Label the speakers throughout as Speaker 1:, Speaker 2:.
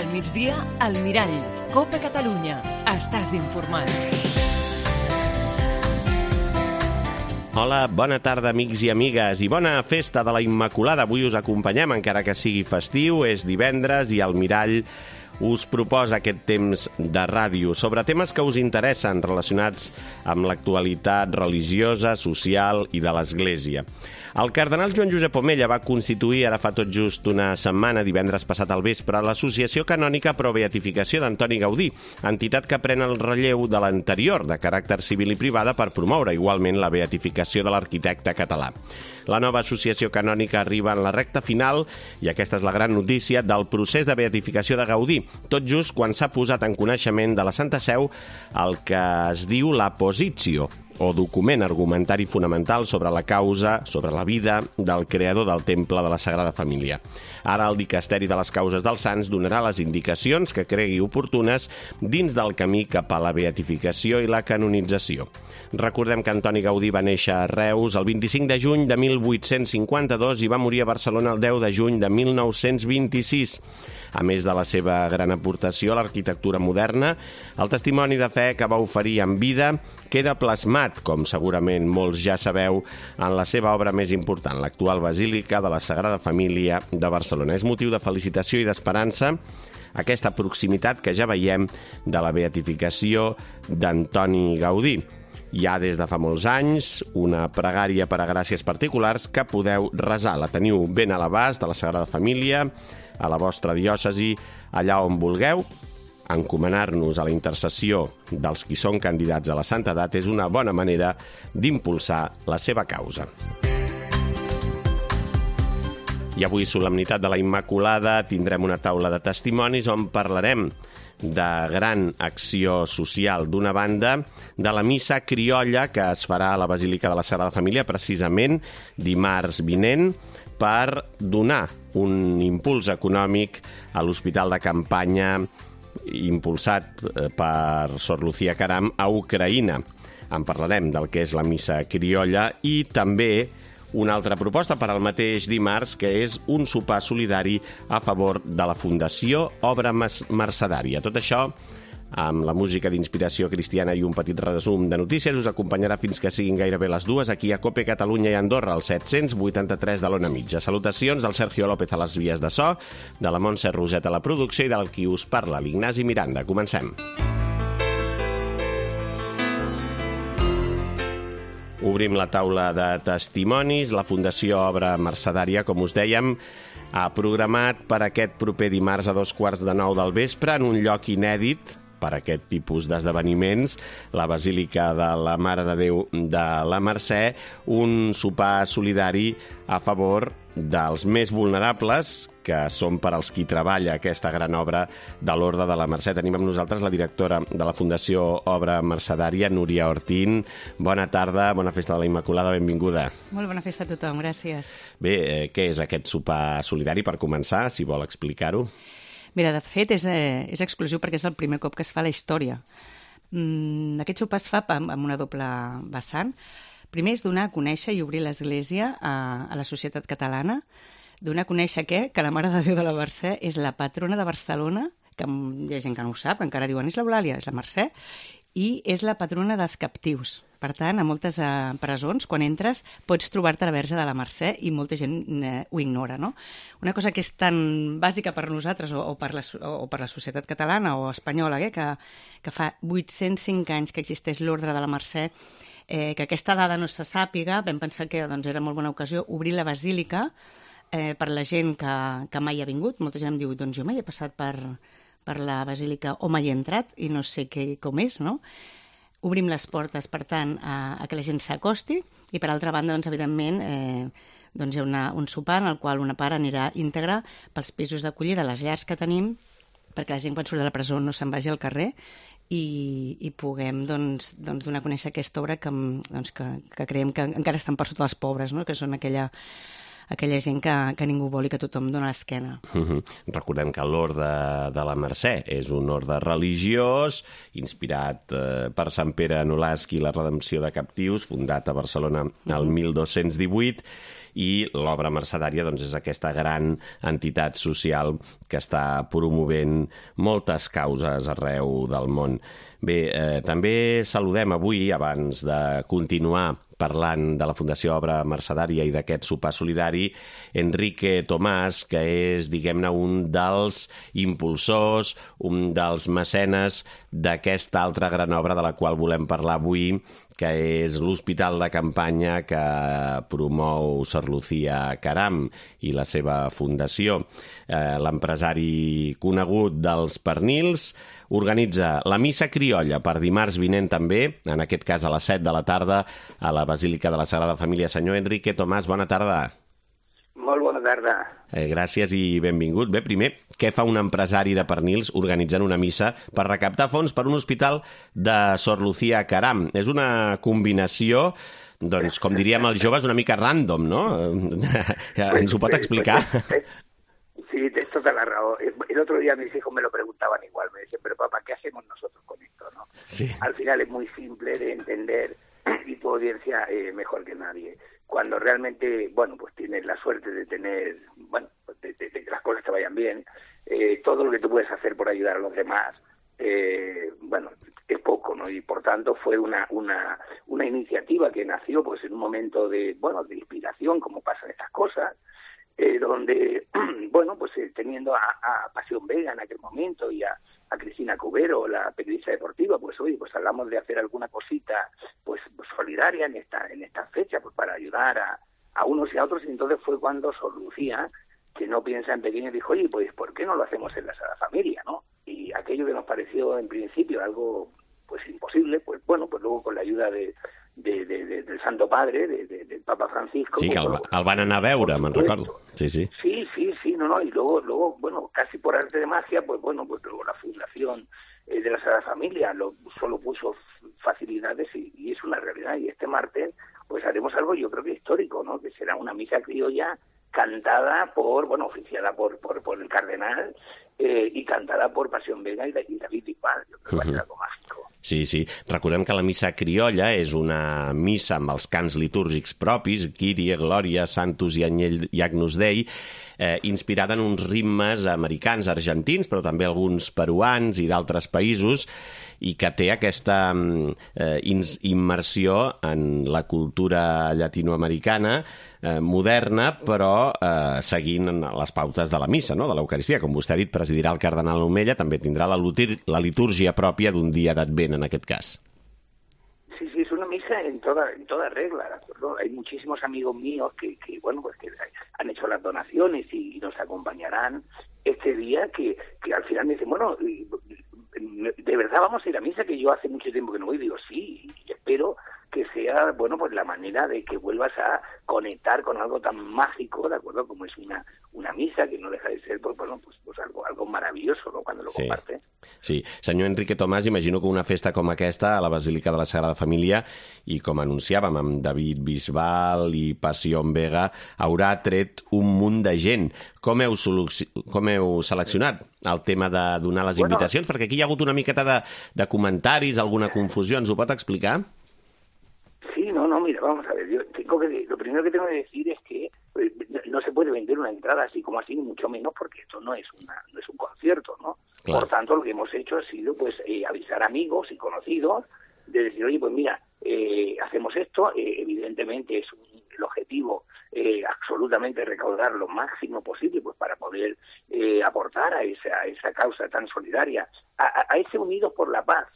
Speaker 1: Al migdia, al Mirall. Copa Catalunya. Estàs informat.
Speaker 2: Hola, bona tarda, amics i amigues, i bona festa de la Immaculada. Avui us acompanyem, encara que sigui festiu, és divendres i el Mirall us proposa aquest temps de ràdio sobre temes que us interessen relacionats amb l'actualitat religiosa, social i de l'Església. El cardenal Joan Josep Omella va constituir ara fa tot just una setmana, divendres passat al vespre, l'Associació Canònica Pro Beatificació d'Antoni Gaudí, entitat que pren el relleu de l'anterior, de caràcter civil i privada, per promoure igualment la beatificació de l'arquitecte català. La nova associació canònica arriba en la recta final, i aquesta és la gran notícia, del procés de beatificació de Gaudí, tot just quan s'ha posat en coneixement de la Santa Seu el que es diu la Positio, o document argumentari fonamental sobre la causa, sobre la vida del creador del Temple de la Sagrada Família. Ara el Dicasteri de les Causes dels Sants donarà les indicacions que cregui oportunes dins del camí cap a la beatificació i la canonització. Recordem que Antoni Gaudí va néixer a Reus el 25 de juny de 1852 i va morir a Barcelona el 10 de juny de 1926. A més de la seva gran aportació a l'arquitectura moderna, el testimoni de fe que va oferir en vida queda plasmat, com segurament molts ja sabeu, en la seva obra més important, l'actual Basílica de la Sagrada Família de Barcelona. És motiu de felicitació i d'esperança aquesta proximitat que ja veiem de la beatificació d'Antoni Gaudí. Hi ha des de fa molts anys una pregària per a gràcies particulars que podeu resar. La teniu ben a l'abast de la Sagrada Família, a la vostra diòcesi, allà on vulgueu. Encomanar-nos a la intercessió dels qui són candidats a la santedat és una bona manera d'impulsar la seva causa. I avui, solemnitat de la Immaculada, tindrem una taula de testimonis on parlarem de gran acció social. D'una banda, de la missa criolla que es farà a la Basílica de la Sagrada Família precisament dimarts vinent, per donar un impuls econòmic a l'hospital de campanya impulsat per Sor Lucía Caram a Ucraïna. En parlarem del que és la missa criolla i també una altra proposta per al mateix dimarts, que és un sopar solidari a favor de la Fundació Obra Mercedària. Tot això amb la música d'inspiració cristiana i un petit resum de notícies us acompanyarà fins que siguin gairebé les 2 aquí a Cope Catalunya i Andorra, al 783 de l'Ona Mitja. Salutacions del Sergio López a les vies de so, de la Montse Roset a la producció i del qui us parla, l'Ignasi Miranda. Comencem. Obrim la taula de testimonis. La Fundació Obra Mercedària, com us dèiem, ha programat per aquest proper dimarts a 8:15 del vespre, en un lloc inèdit per aquest tipus d'esdeveniments, la Basílica de la Mare de Déu de la Mercè, un sopar solidari a favor dels més vulnerables, que són per als qui treballa aquesta gran obra de l'Orde de la Mercè. Tenim amb nosaltres la directora de la Fundació Obra Mercedària, Núria Ortín. Bona tarda, bona festa de la Immaculada, benvinguda.
Speaker 3: Molt bona festa a tothom, gràcies.
Speaker 2: Bé, què és aquest sopar solidari, per començar, si vol explicar-ho?
Speaker 3: Mira, de fet, és exclusiu perquè és el primer cop que es fa a la història. Aquest sopar es fa amb una doble vessant. Primer és donar a conèixer i obrir l'Església a la societat catalana, donar a conèixer que la Mare de Déu de la Mercè és la patrona de Barcelona, que hi ha gent que no ho sap, encara diuen és l'Eulàlia, és la Mercè, i és la patrona dels captius. Per tant, a moltes presons, quan entres, pots trobar-te la Verge de la Mercè i molta gent ho ignora, no? Una cosa que és tan bàsica per nosaltres o per la societat catalana o espanyola, que fa 805 anys que existeix l'Ordre de la Mercè, que aquesta dada no se sàpiga, vam pensar que era molt bona ocasió obrir la basílica per la gent que mai ha vingut. Molta gent em diu, doncs jo mai he passat per la basílica o mai he entrat i no sé com és, no? Obrim les portes, per tant, a que la gent s'acosti i, per altra banda, doncs, evidentment, hi ha un sopar en el qual una part anirà íntegra pels pisos d'acollida, les llars que tenim, perquè la gent quan surt de la presó no se'n vagi al carrer i puguem donar a conèixer aquesta obra que creiem que encara estan per sota dels pobres, no? Que són aquella aquella gent que ningú vol i que tothom dona l'esquena.
Speaker 2: Recordem que l'Orde de la Mercè és un orde religiós inspirat per Sant Pere Nolasc i la Redempció de Captius, fundat a Barcelona el 1218, i l'obra mercedària doncs, és aquesta gran entitat social que està promovent moltes causes arreu del món. Bé, també saludem avui, abans de continuar parlant de la Fundació Obra Mercedària i d'aquest sopar solidari, Enrique Tomàs, que és, diguem-ne, un dels impulsors, un dels mecenes d'aquesta altra gran obra de la qual volem parlar avui, que és l'Hospital de Campanya que promou Sor Lucía Caram i la seva fundació. L'empresari conegut dels pernils organitza la missa criolla per dimarts vinent també, en aquest cas a les 7 de la tarda, a la Basílica de la Sagrada Família. Senyor Enrique Tomàs, bona tarda.
Speaker 4: Molt bona tarda.
Speaker 2: Gràcies i benvingut. Bé, primer, què fa un empresari de pernils organitzant una missa per recaptar fons per un hospital de Sor Lucía Caram? És una combinació, doncs, com diríem els joves, una mica random, no? ¿Ens ho pot explicar?
Speaker 4: Sí, tienes toda la razón. El otro día mis hijos me lo preguntaban igual, me decían, pero papá, ¿qué hacemos nosotros con esto, no?
Speaker 2: Sí.
Speaker 4: Al final es muy simple de entender y tu audiencia mejor que nadie. Cuando realmente, bueno, pues tienes la suerte de tener, bueno, de que las cosas te vayan bien, todo lo que tú puedes hacer por ayudar a los demás, bueno, es poco, ¿no? Y por tanto fue una iniciativa que nació pues en un momento de, bueno, de inspiración, como pasan estas cosas, donde, bueno, pues teniendo a Pasión Vega en aquel momento y a Cristina Cubero, la periodista deportiva, pues oye, pues hablamos de hacer alguna cosita pues solidaria en esta fecha, pues para ayudar a unos y a otros, y entonces fue cuando Sor Lucía, que no piensa en pequeño, dijo, oye, pues ¿por qué no lo hacemos en la Sagrada Familia, no? Y aquello que nos pareció en principio algo pues imposible, pues bueno, pues luego con la ayuda del Santo Padre, del Papa Francisco...
Speaker 2: Sí, que el van anar a veure, me'n recordo. Sí.
Speaker 4: Sí, no, y luego, bueno, casi por arte de magia, pues bueno, pues luego la fundación de la Sagrada Familia solo puso facilidades y es una realidad. Y este martes, pues haremos algo, yo creo que histórico, ¿no? Que será una misa criolla cantada oficiada por el cardenal y cantada por Pasión Vega y David Bisbal. Yo creo que va a ser algo mágico.
Speaker 2: Sí. Recordem que la missa criolla és una missa amb els cants litúrgics propis, Kyrie, Glòria, Santus i Agnus Dei, inspirada en uns ritmes americans, argentins, però també alguns peruans i d'altres països, i que té aquesta immersió en la cultura llatinoamericana moderna, però seguint les pautes de la missa, no? De l'Eucaristia. Com vostè ha dit, presidirà el cardenal Omella, també tindrà la litúrgia pròpia d'un dia d'Advent, en aquest cas.
Speaker 4: Sí, es una misa en toda regla, ¿de acuerdo? Hay muchísimos amigos míos que han hecho las donaciones y nos acompañarán este día, que al final me dicen, bueno, ¿de verdad vamos a ir a misa? Que yo hace mucho tiempo que no voy. Digo, sí, y espero que sea, bueno, pues la manera de que vuelvas a conectar con algo tan mágico, ¿de acuerdo? Como es una misa, que no deja de ser, pues algo maravilloso, ¿no? Cuando lo compartes.
Speaker 2: Sí. Senyor Enrique Tomàs, imagino que una festa com aquesta a la Basílica de la Sagrada Família, i com anunciàvem amb David Bisbal i Pasión Vega, haurà tret un munt de gent. Com heu seleccionat el tema de donar les invitacions? Perquè aquí hi ha hagut una miqueta de comentaris, alguna confusió. Ens ho pot explicar?
Speaker 4: Sí, no, mira, vamos a ver, lo primero que tengo que decir es que no se puede vender una entrada así como así, ni mucho menos, porque esto no es un concierto, ¿no? Claro. Por tanto, lo que hemos hecho ha sido pues avisar amigos y conocidos, de decir, oye, pues mira, hacemos esto, evidentemente es el objetivo absolutamente recaudar lo máximo posible pues para poder aportar a esa causa tan solidaria, a ese Unidos por la Paz,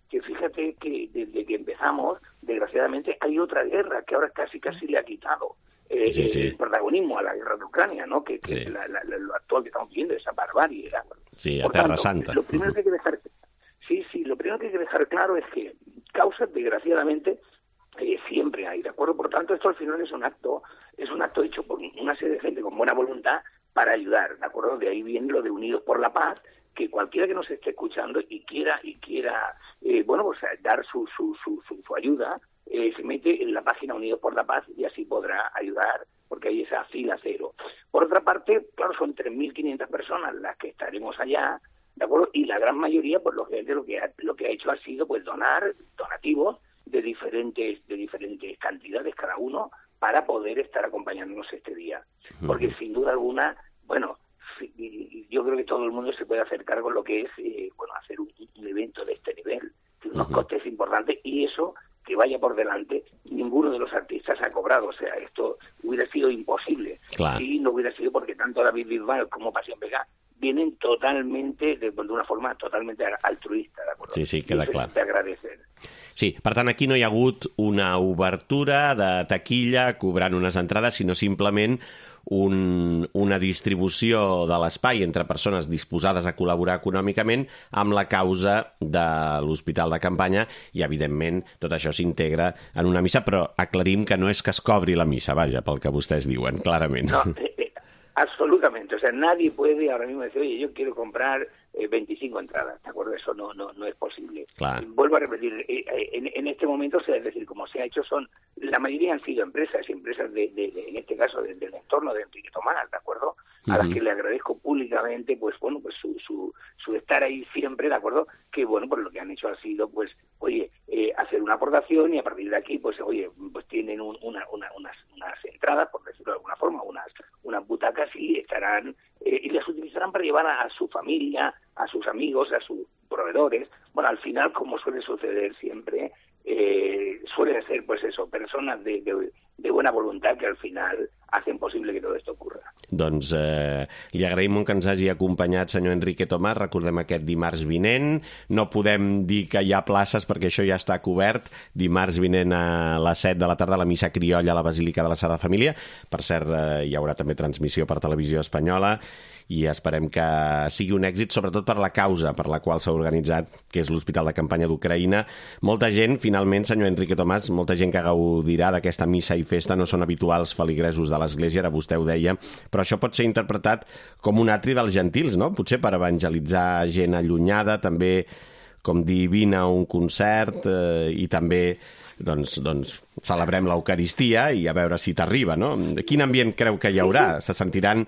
Speaker 4: que fíjate que desde que empezamos, desgraciadamente, hay otra guerra que ahora casi le ha quitado el protagonismo a la guerra de Ucrania, ¿no? Que es lo actual que estamos viendo, esa barbarie.
Speaker 2: Sí, a Terra Santa.
Speaker 4: Lo primero que hay que dejar, lo primero que hay que dejar claro es que causas, desgraciadamente, siempre hay, ¿de acuerdo? Por tanto, esto al final es un acto hecho por una serie de gente con buena voluntad para ayudar, ¿de acuerdo? De ahí viene lo de Unidos por la Paz, que cualquiera que nos esté escuchando y quiera pues dar su ayuda, se mete en la página Unidos por la Paz y así podrá ayudar porque hay esa fila cero. Por otra parte, claro, son 3.500 personas las que estaremos allá, ¿de acuerdo? Y la gran mayoría, pues lógicamente lo que ha hecho ha sido pues donar donativos de diferentes cantidades cada uno para poder estar acompañándonos este día. Porque sin duda alguna, bueno, yo creo que todo el mundo se puede hacer cargo de lo que es hacer un evento de este nivel, tiene unos costes importantes, y eso que vaya por delante, ninguno de los artistas ha cobrado. O sea, esto hubiera sido imposible si no hubiera sido porque tanto David Bisbal como Pasión Vega vienen totalmente, de una forma totalmente altruista, ¿de acuerdo?
Speaker 2: Sí, queda clar.
Speaker 4: De agradecer.
Speaker 2: Sí, per tant, aquí no hi ha hagut una obertura de taquilla cobrant unes entrades, sinó simplement una distribució de l'espai entre persones disposades a col·laborar econòmicament amb la causa de l'Hospital de Campanya i, evidentment, tot això s'integra en una missa, però aclarim que no és que es cobri la missa, vaja, pel que vostès diuen, clarament.
Speaker 4: No, absolutamente. O sea, nadie puede ahora mismo decir, oye, yo quiero comprar 25 entradas, ¿de acuerdo? Eso no es posible.
Speaker 2: Claro.
Speaker 4: Vuelvo a repetir, en este momento, o sea, es decir, como se ha hecho, la mayoría han sido empresas en este caso del entorno de Enrique Tomás, ¿de acuerdo? A las que le agradezco públicamente, pues bueno, pues su estar ahí siempre, ¿de acuerdo? Que bueno, pues lo que han hecho ha sido, pues, oye, hacer una aportación, y a partir de aquí, pues, oye, pues tienen unas entradas, por decirlo de alguna forma, unas butacas, y estarán, y las utilizarán para llevar a su familia, a sus amigos, a sus proveedores. Bueno, al final, como suele suceder siempre, suelen ser, pues eso, personas de buena voluntad que al final hacen possible que tot esto ocurra.
Speaker 2: Doncs li agraïm molt que ens hagi acompanyat, senyor Enrique Tomàs. Recordem aquest dimarts vinent. No podem dir que hi ha places perquè això ja està cobert. Dimarts vinent a les 7 de la tarda, la missa criolla a la Basílica de la Sagrada Família. Per cert, hi haurà també transmissió per Televisió Espanyola, i esperem que sigui un èxit, sobretot per la causa per la qual s'ha organitzat, que és l'Hospital de Campanya d'Ucraïna. Molta gent, finalment, senyor Enrique Tomàs, molta gent que gaudirà d'aquesta missa i festa no són habituals feligresos de l'Església, ara vostè ho deia, però això pot ser interpretat com un atri dels gentils, no? Potser per evangelitzar gent allunyada, també com dir vine a un concert, i també doncs celebrem l'Eucaristia i a veure si t'arriba, no? Quin ambient creu que hi haurà? Se sentiran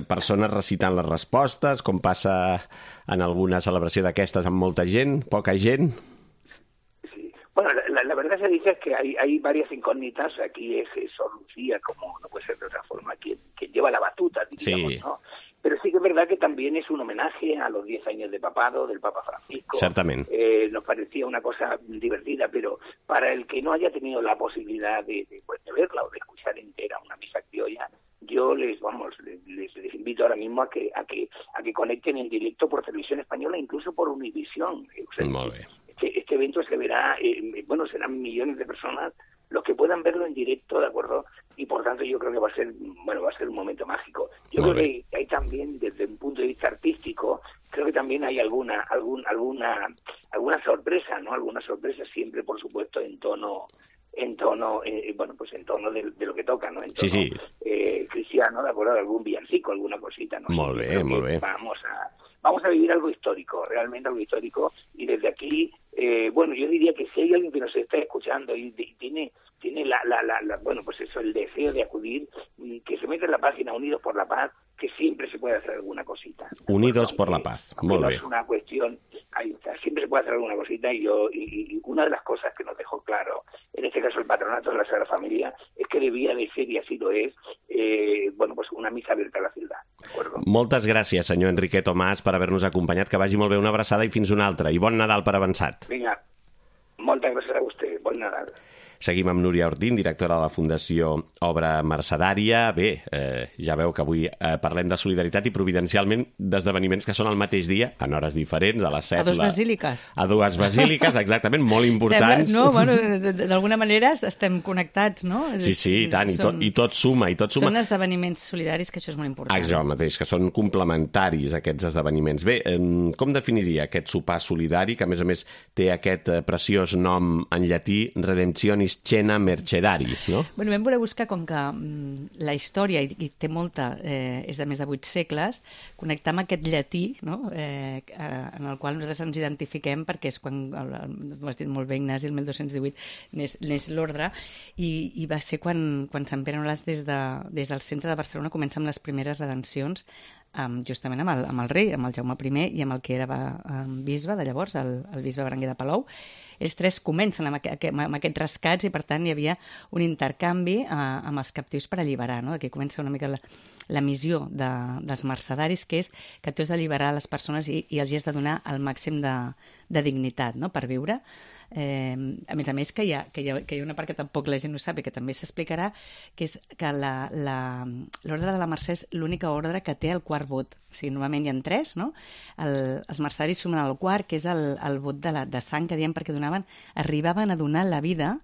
Speaker 2: persones recitant les respostes, com passa en alguna celebració d'aquestes amb molta gent, poca gent?
Speaker 4: Sí. Bueno, la verdad se dice que hay varias incógnitas. Aquí es Sor Lucía, como no puede ser de otra forma, quien lleva la batuta, diríamos, sí, ¿no? Pero sí que es verdad que también es un homenaje a los 10 años de papado del Papa Francisco.
Speaker 2: Certamente.
Speaker 4: Nos parecía una cosa divertida, pero para el que no haya tenido la posibilidad de verla o de escuchar entera una misa criolla, yo les invito ahora mismo a que conecten en directo por Televisión Española, incluso por Univisión. O sea, este evento se verá, serán millones de personas los que puedan verlo en directo, ¿de acuerdo? Y por tanto yo creo que va a ser un momento mágico. Yo creo que hay también, desde un punto de vista artístico, creo que también hay alguna sorpresa, ¿no? Alguna sorpresa siempre, por supuesto, en tono de lo que toca, ¿no? En tono cristiano, de acuerdo, algún villancico, alguna cosita, ¿no?
Speaker 2: Molt bé.
Speaker 4: Vamos a vivir algo histórico, realmente algo histórico, y desde aquí, yo diría que si hay alguien que nos está escuchando y tiene el deseo de acudir, que se meta en la página Unidos por la Paz, que siempre se puede hacer alguna cosita.
Speaker 2: Unidos por la Paz, muy bien.
Speaker 4: No es una cuestión, siempre se puede hacer alguna cosita, y una de las cosas que nos dejó claro, en este caso el Patronato de la Sagrada Familia, es que debía de ser, y así lo es, una misa abierta a la ciudad.
Speaker 2: Moltes gràcies, senyor Enrique Tomàs, per haver-nos acompanyat. Que vagi molt bé, una abraçada i fins una altra. I bon Nadal per avançat.
Speaker 4: Vinga, moltes gràcies a vostè. Bon Nadal.
Speaker 2: Seguim amb Núria Ortín, directora de la Fundació Obra Mercedària. Bé, ja veu que avui parlem de solidaritat i providencialment d'esdeveniments que són al mateix dia, en hores diferents, a les 7.
Speaker 3: A dues basíliques.
Speaker 2: A dues basíliques, exactament, molt importants.
Speaker 3: No, d'alguna manera estem connectats, no?
Speaker 2: Sí, i tant, i tot suma.
Speaker 3: Són esdeveniments solidaris, que això és molt important.
Speaker 2: Això mateix, que són complementaris, aquests esdeveniments. Bé, com definiria aquest sopar solidari, que a més té aquest preciós nom en llatí, Redemptionis Scena Mercedari, no?
Speaker 3: Bueno, vam voler buscar, com que la història, i té molta, és de més de 8 segles, connectar amb aquest llatí, no? En el qual nosaltres ens identifiquem, perquè és quan, ho has dit molt bé, Ignasi, el 1218 n'és l'ordre, i va ser quan Sant Pere Nolasc des del centre de Barcelona comença amb les primeres redencions, justament amb el rei, amb el Jaume I i amb el que era bisbe de llavors, el bisbe Berenguer de Palou. Ells tres comencen amb aquests rescats i, per tant, hi havia un intercanvi amb els captius per alliberar. No? Aquí comença una mica la missió dels mercedaris, que és que tu has d'alliberar les persones i els has de donar el màxim de dignitat, no? Per viure. A més, que hi ha una part que tampoc la gent no sap i que també s'explicarà, que és que l'ordre de la Mercè és l'única ordre que té el quart vot. O sigui, normalment hi ha 3, no? Els mercedaris sumen el quart, que és el vot de sang que diem, perquè arribaven a donar la vida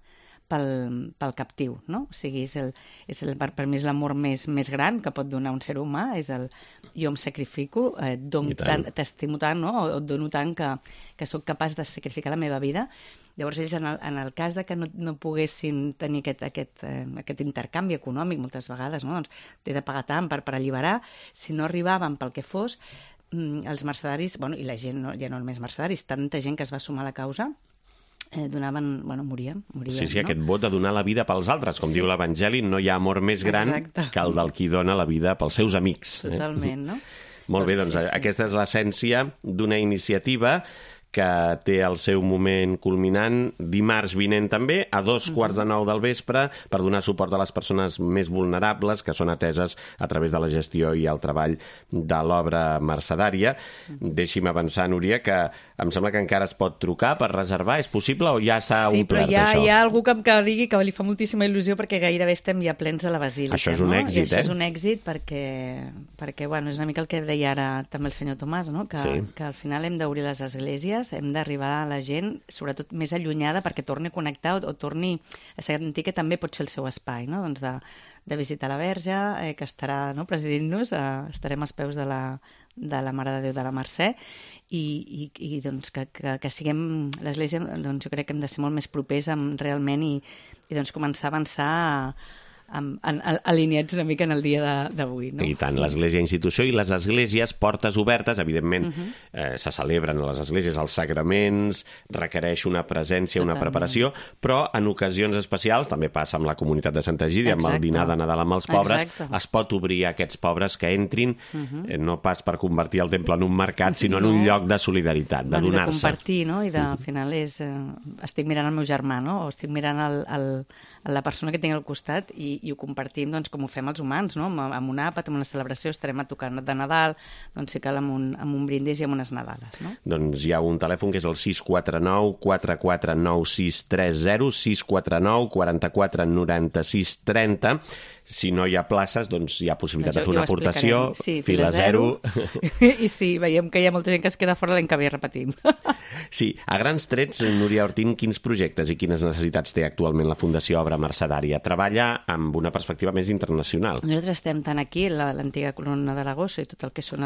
Speaker 3: pel captiu, no? O sigui, per mi és l'amor més gran que pot donar un ser humà, és jo em sacrifico, t'estimo tant, no? O et dono tant que sóc capaç de sacrificar la meva vida. Llavors ells, en el cas de que no poguessin tenir aquest intercanvi econòmic moltes vegades, no? Doncs t'he de pagar tant per alliberar, si no arribaven pel que fos, els mercedaris, i la gent, ja no només mercedaris, tanta gent que es va sumar a la causa, morien.
Speaker 2: Sí, aquest vot de donar la vida pels altres, com diu l'Evangeli, no hi ha amor més gran que el del qui dona la vida pels seus amics.
Speaker 3: Totalment, no?
Speaker 2: Molt bé, doncs aquesta és l'essència d'una iniciativa que té el seu moment culminant dimarts vinent també, a 2:15 del vespre, per donar suport a les persones més vulnerables que són ateses a través de la gestió i el treball de l'obra mercedària. Deixi'm avançar, Núria, que em sembla que encara es pot trucar per reservar. És possible o ja s'ha omplert això?
Speaker 3: Sí, però hi ha algú que digui que li fa moltíssima il·lusió perquè gairebé estem ja plens a la basílica.
Speaker 2: Això és un èxit,
Speaker 3: Això és un èxit perquè és una mica el que deia ara també el senyor Tomàs, no? Que al final hem d'obrir les esglésies, hem d'arribar a la gent, sobretot més allunyada, perquè torni a connectar o torni a sentir que també pot ser el seu espai, no? Doncs de visitar la Verge, que estarà presidint-nos, estarem als peus de la Mare de Déu de la Mercè, i doncs que siguem l'Església, doncs jo crec que hem de ser molt més propers realment i doncs començar a avançar alineats una mica en el dia d'avui, no?
Speaker 2: I tant, l'Església institució i les esglésies portes obertes, evidentment se celebren a les esglésies els sagraments, requereix una presència, una preparació, però en ocasions especials, també passa amb la comunitat de Santa Egídia, amb el dinar de Nadal amb els pobres, es pot obrir a aquests pobres que entrin, no pas per convertir el temple en un mercat, sinó en un lloc de solidaritat, de donar-se.
Speaker 3: De compartir, no? I al final estic mirant el meu germà, no? O estic mirant la persona que tinc al costat i ho compartim com ho fem els humans, no? Amb un àpat, amb una celebració, estarem a tocar de Nadal, doncs si cal amb un brindis i amb unes Nadales, no?
Speaker 2: Doncs hi ha un telèfon que és el 649 449630, 649 44 96 30. Si no hi ha places, doncs hi ha possibilitat de fer una aportació, fila zero.
Speaker 3: I sí, veiem que hi ha molta gent que es queda fora l'any que ve, repetim.
Speaker 2: Sí, a grans trets, Núria Ortín, quins projectes i quines necessitats té actualment la Fundació Obra Mercedària? Treballa amb una perspectiva més internacional.
Speaker 3: Nosaltres estem tant aquí, l'antiga colonna d'Aragossa i tot el que són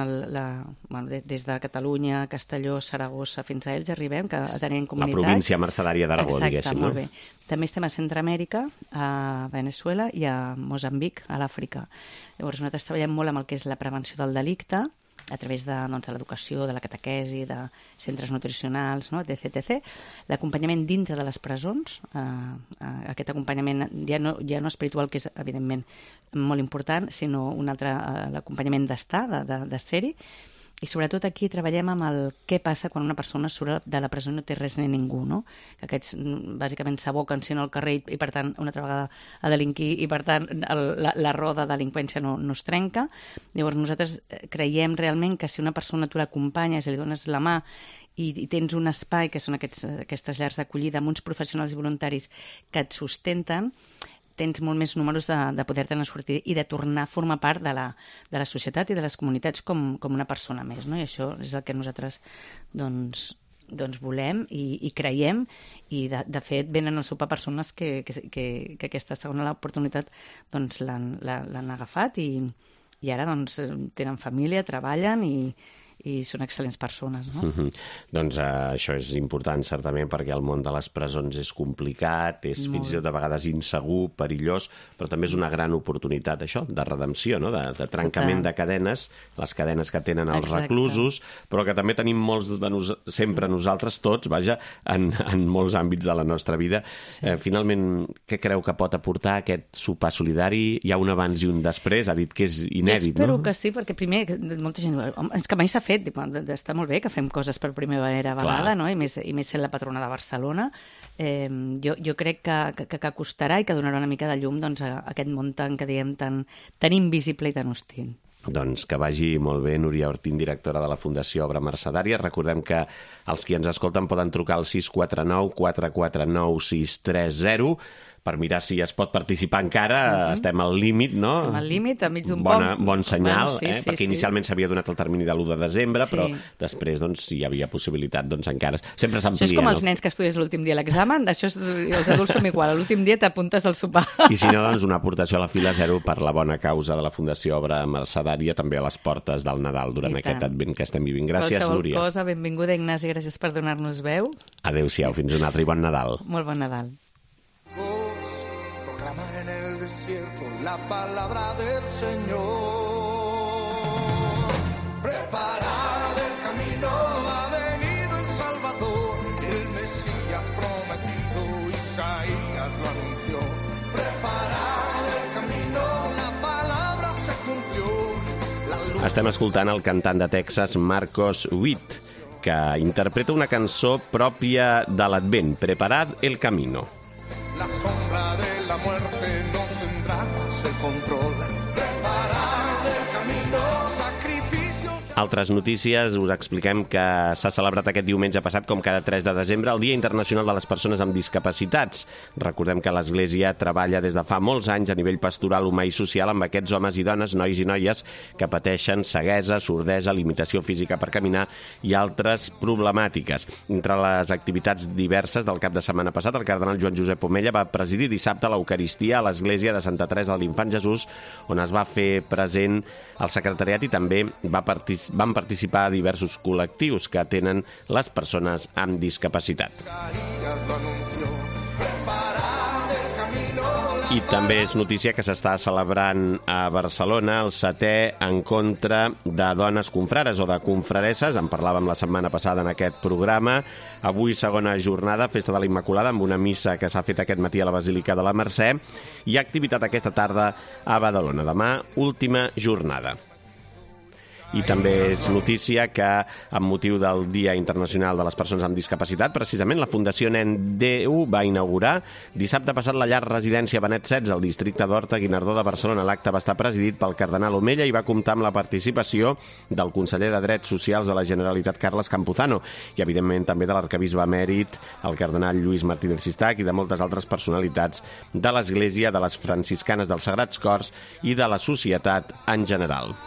Speaker 3: des de Catalunya, Castelló, Saragossa, fins a ells arribem, que tenim comunitats.
Speaker 2: La província mercedària d'Aragó, diguéssim.
Speaker 3: Exacte, molt bé. També estem a Centreamèrica, a Veneçuela i a Moçambic, a l'Àfrica. Llavors nosaltres treballem molt amb el que és la prevenció del delicte, a través de l'educació, de la catequesi, de centres nutricionals, no? etc. L'acompanyament dintre de les presons, aquest acompanyament ja no espiritual, que és evidentment molt important, sinó un altre, l'acompanyament d'estar, de ser-hi. I sobretot aquí treballem amb el què passa quan una persona surt de la presó i no té res ni ningú, no? Que aquests bàsicament s'aboquen al carrer i per tant una altra vegada a delinquir i per tant la roda de delinqüència no es trenca. Llavors nosaltres creiem realment que si una persona tu l'acompanyes i li dones la mà i tens un espai, que són aquestes llars d'acollida amb uns professionals i voluntaris que et sustenten, tens molt més números de poder-te'n sortir i de tornar a formar part de la societat i de les comunitats com una persona més, no? I això és el que nosaltres doncs volem i creiem, i de fet venen a sopar persones que aquesta segona oportunitat doncs l'han agafat i ara doncs tenen família, treballen i i són excel·lents persones, no?
Speaker 2: Doncs això és important, certament, perquè el món de les presons és complicat, és fins i tot a vegades insegur, perillós, però també és una gran oportunitat, això, de redempció, no? de trencament de cadenes, les cadenes que tenen els reclusos, però que també tenim molts sempre nosaltres, tots, vaja, en molts àmbits de la nostra vida. Finalment, què creu que pot aportar aquest sopar solidari? Hi ha un abans i un després, ha dit que és inèdit, no?
Speaker 3: Espero que sí, perquè primer, molta gent... És que mai s'ha fet, està molt bé que fem coses per primera vegada, no? I més sent la patrona de Barcelona. Jo crec que costarà i que donarà una mica de llum a aquest món que diem tan invisible i tan hostil.
Speaker 2: Doncs que vagi molt bé, Núria Ortín, directora de la Fundació Obra Mercedària. Recordem que els qui ens escolten poden trucar al 649 449 630 per mirar si es pot participar encara. Estem al límit, no?
Speaker 3: Estem al límit, enmig d'un
Speaker 2: bon senyal, perquè inicialment s'havia donat el termini de l'1 de desembre, però després, si hi havia possibilitat, encara sempre s'amplia.
Speaker 3: Això és com els nens que estudies l'últim dia a l'examen, els adults som igual, l'últim dia t'apuntes al sopar.
Speaker 2: I si no, una aportació a la fila 0 per la bona causa de la Fundació Obra Mercedària, també a les portes del Nadal durant aquest advent que estem vivint. Gràcies, Núria.
Speaker 3: Qualsevol cosa, benvinguda, Ignasi, gràcies per donar-nos veu.
Speaker 2: Adéu-siau, fins un altre i bon Nadal.
Speaker 3: Molt bon Nadal.
Speaker 5: Proclama en el desierto la palabra del Señor. Preparad el camino, ha venido el Salvador, el Mesías prometido, Isaías lo anunció. Preparad el camino, la palabra se cumplió.
Speaker 2: Estem escoltant el cantant de Texas, Marcos Witt, que interpreta una cançó pròpia de l'Advent, Preparad el camino.
Speaker 5: La sombra de la muerte no tendrá más el control. Preparar el camino, sacrificios...
Speaker 2: Altres notícies, us expliquem que s'ha celebrat aquest diumenge passat, com cada 3 de desembre, el Dia Internacional de les Persones amb Discapacitats. Recordem que l'Església treballa des de fa molts anys a nivell pastoral, humà i social amb aquests homes i dones, nois i noies, que pateixen ceguesa, sordesa, limitació física per caminar i altres problemàtiques. Entre les activitats diverses del cap de setmana passat, el cardenal Joan Josep Omella va presidir dissabte l'Eucaristia a l'Església de Santa Teresa de l'Infant Jesús, on es va fer present el secretariat i també van participar diversos col·lectius que tenen les persones amb discapacitat. I també és notícia que s'està celebrant a Barcelona el 7è encontre de dones confrares o de confraresses. En parlàvem la setmana passada en aquest programa. Avui segona jornada, Festa de la Immaculada, amb una missa que s'ha fet aquest matí a la Basílica de la Mercè. Hi ha activitat aquesta tarda a Badalona. Demà, última jornada. I també és notícia que, amb motiu del Dia Internacional de les Persones amb Discapacitat, precisament la Fundació Nen 10 va inaugurar dissabte passat la llar residència Benet XVI al districte d'Horta Guinardó de Barcelona. L'acte va estar presidit pel cardenal Omella i va comptar amb la participació del conseller de Drets Socials de la Generalitat, Carles Campuzano, i evidentment també de l'arquebisbe emèrit, el cardenal Lluís Martínez Sistac, i de moltes altres personalitats de l'Església, de les franciscanes dels Sagrats Cors i de la societat en general.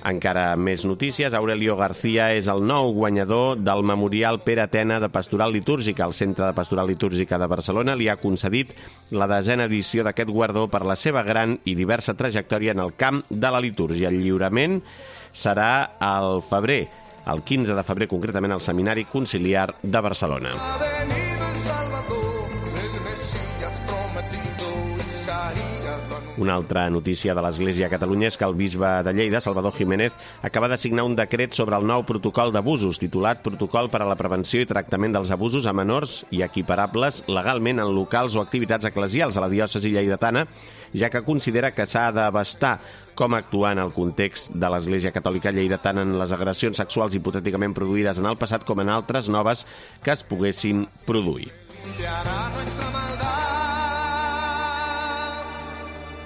Speaker 2: Encara més notícies. Aurelio García és el nou guanyador del Memorial Pere Tena de Pastoral Litúrgica. El Centre de Pastoral Litúrgica de Barcelona li ha concedit la 10a edició d'aquest guardó per la seva gran i diversa trajectòria en el camp de la litúrgia. El lliurament serà al febrer, el 15 de febrer concretament, al Seminari Conciliar de Barcelona. Una altra notícia de l'Església a Catalunya és que el bisbe de Lleida, Salvador Jiménez, acaba de signar un decret sobre el nou protocol d'abusos, titulat Protocol per a la prevenció i tractament dels abusos a menors i equiparables legalment en locals o activitats eclesials a la diòcesi lleidatana, ja que considera que s'ha d'abastar com actuar en el context de l'Església Catòlica lleidatana en les agressions sexuals hipotèticament produïdes en el passat com en altres noves que es poguessin produir.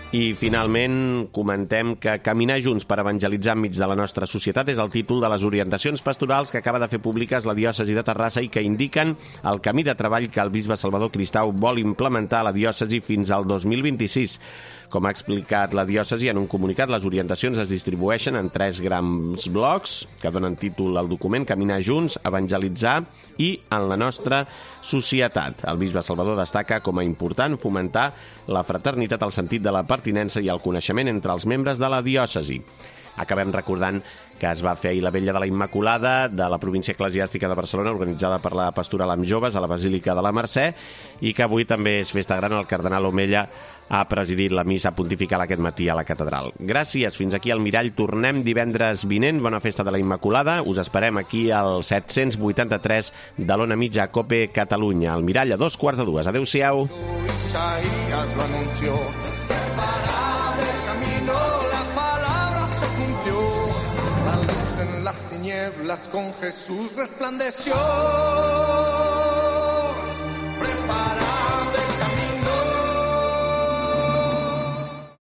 Speaker 2: I, finalment, comentem que Caminar junts per evangelitzar enmig de la nostra societat és el títol de les orientacions pastorals que acaba de fer públiques la diòcesi de Terrassa i que indiquen el camí de treball que el bisbe Salvador Cristau vol implementar a la diòcesi fins al 2026. Com ha explicat la diòcesi en un comunicat, les orientacions es distribueixen en 3 grans blocs que donen títol al document: Caminar junts, evangelitzar i en la nostra societat. El bisbe Salvador destaca com a important fomentar la fraternitat, el sentit de la pertinença i el coneixement entre els membres de la diòcesi. Acabem recordant que es va fer ahir la Vetlla de la Immaculada de la província eclesiàstica de Barcelona, organitzada per la Pastoral amb Joves a la Basílica de la Mercè, i que avui també és festa gran. El cardenal Omella ha presidit la missa pontifical aquest matí a la catedral. Gràcies, fins aquí al Mirall. Tornem divendres vinent. Bona festa de la Immaculada. Us esperem aquí al 783 de l'Ona Mitja COPE Catalunya. El Mirall a 2:15. Adéu-siau.
Speaker 5: Isaías lo anunció. Preparad el camino, la palabra se cumplió. La luz en las tinieblas con Jesús resplandeció.